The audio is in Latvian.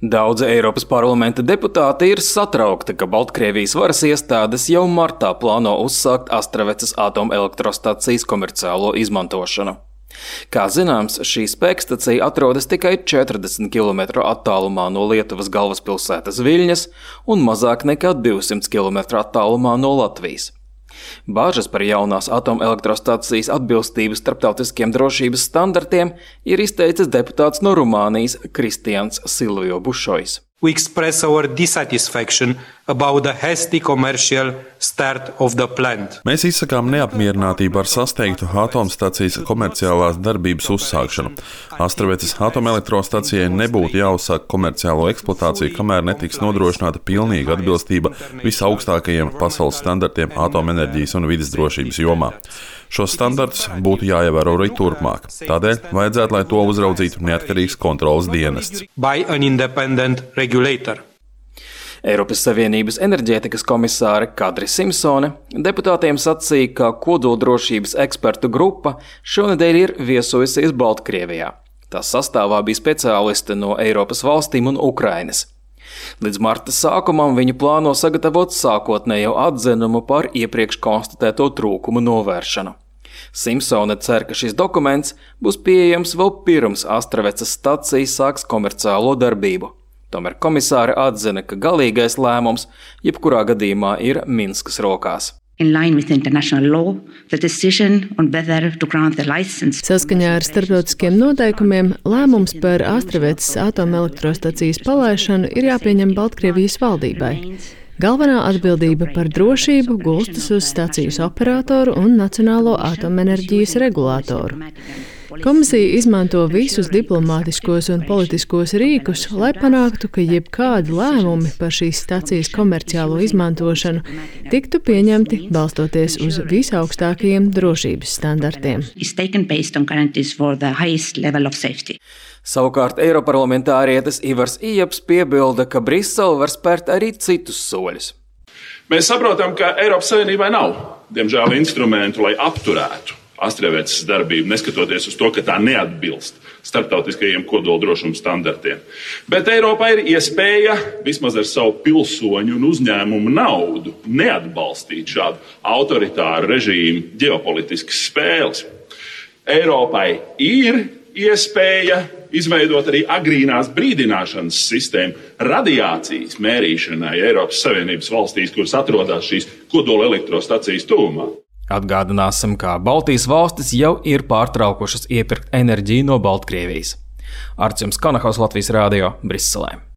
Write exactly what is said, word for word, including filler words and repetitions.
Daudzi Eiropas parlamenta deputāti ir satraukti, ka Baltkrievijas varas iestādes jau martā plāno uzsākt Astravecas atomelektrostacijas komerciālo izmantošanu. Kā zināms, šī spēkstacija atrodas tikai četrdesmit kilometru attālumā no Lietuvas galvaspilsētas Viļņas un mazāk nekā divsimt kilometru attālumā no Latvijas. Bāžas par jaunās atomelektrostacijas atbilstību starptautiskiem drošības standartiem ir izteicis deputāts no Rumānijas Kristians Silvio Bušojs. We express our dissatisfaction about the hasty commercial start of the plant. Mēs izsakām neapmierinātību ar sasteigtu atomstacijas komerciālās darbības uzsākšanu. Astravecas atomelektrostacijai nebūtu jāuzsāk komerciālo eksploatāciju, kamēr netiks nodrošināta pilnīga atbilstība visaugstākajiem pasaules standartiem atomenerģijas un vides drošības jomā. Šos standartus būtu jāievēro arī turpmāk. Tādēļ vajadzētu, lai to uzraudzītu neatkarīgs kontroles dienests. By an independent regulator. Eiropas Savienības enerģētikas komisāre Kadri Simpsone deputātiem sacīja, ka kodoldrošības ekspertu grupa šonedēļ ir viesojusies Baltkrievijā. Tās sastāvā bija speciālisti no Eiropas valstīm un Ukrainas. Līdz marta sākumam viņi plāno sagatavot sākotnējo atzinumu par iepriekš konstatēto trūkumu novēršanu. Simpsone cer, ka šis dokuments būs pieejams vēl pirms Astravecas stacija sāks komerciālo darbību. Tomēr komisāre atzina, ka galīgais lēmums jebkurā gadījumā ir Minskas rokās. Saskaņā ar starptautiskiem noteikumiem lēmums par Astravecas atomelektrostacijas palaišanu ir jāpieņem Baltkrievijas valdībai. Galvenā atbildība par drošību gulstas uz stacijas operatoru un Nacionālo atomenerģijas regulātoru. Komisija izmanto visus diplomātiskos un politiskos rīkus, lai panāktu, ka jebkādi lēmumi par šīs stacijas komerciālo izmantošanu tiktu pieņemti balstoties uz visaugstākajiem drošības standartiem. Savukārt eiroparlamentārietis Ivars Ijaps piebilda, ka Brisele var spērt arī citus soļus. Mēs saprotam, ka Eiropas Savienībai nav, diemžēl, instrumentu, lai apturētu Astravecas darbību, neskatoties uz to, ka tā neatbilst starptautiskajiem kodoldrošuma standartiem. Bet Eiropā ir iespēja vismaz ar savu pilsoņu un uzņēmumu naudu neatbalstīt šādu autoritāru režīmu ģeopolitiskas spēles. Eiropai ir iespēja izveidot arī agrīnās brīdināšanas sistēmu radiācijas mērīšanai Eiropas Savienības valstīs, kuras atrodas šīs kodola elektrostacijas tuvumā. Atgādināsim, ka Baltijas valstis jau ir pārtraukušas iepirkt enerģiju no Baltkrievijas. Arts jums Kanahaus, Latvijas Rādio, Briselē.